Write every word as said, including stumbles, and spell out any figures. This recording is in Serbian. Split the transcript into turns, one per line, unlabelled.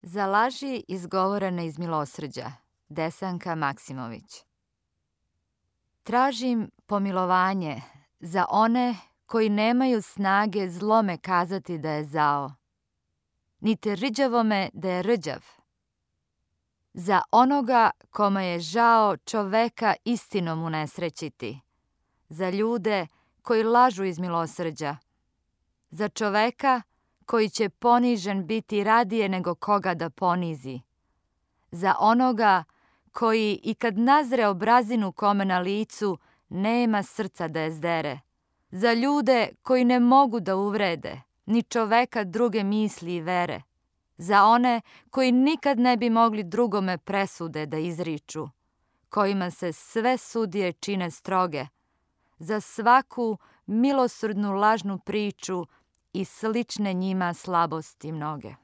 Za laži izgovorene iz milosrđa. Desanka Maksimović. Tražim pomilovanje za one koji nemaju snage zlome kazati da je zao, niti rđavome da je rđav. Za onoga kome je žao čoveka istinom unesrećiti, za ljude koji lažu iz milosrđa, za čoveka koji će ponižen biti radije nego koga da ponizi, za onoga koji i kad nazre obrazinu kome na licu nema srca da je zdere, za ljude koji ne mogu da uvrede ni čoveka druge misli i vere, za one koji nikad ne bi mogli drugome presude da izriču, kojima se sve sudije čine stroge, za svaku milosrdnu lažnu priču i slične njima slabosti mnoge.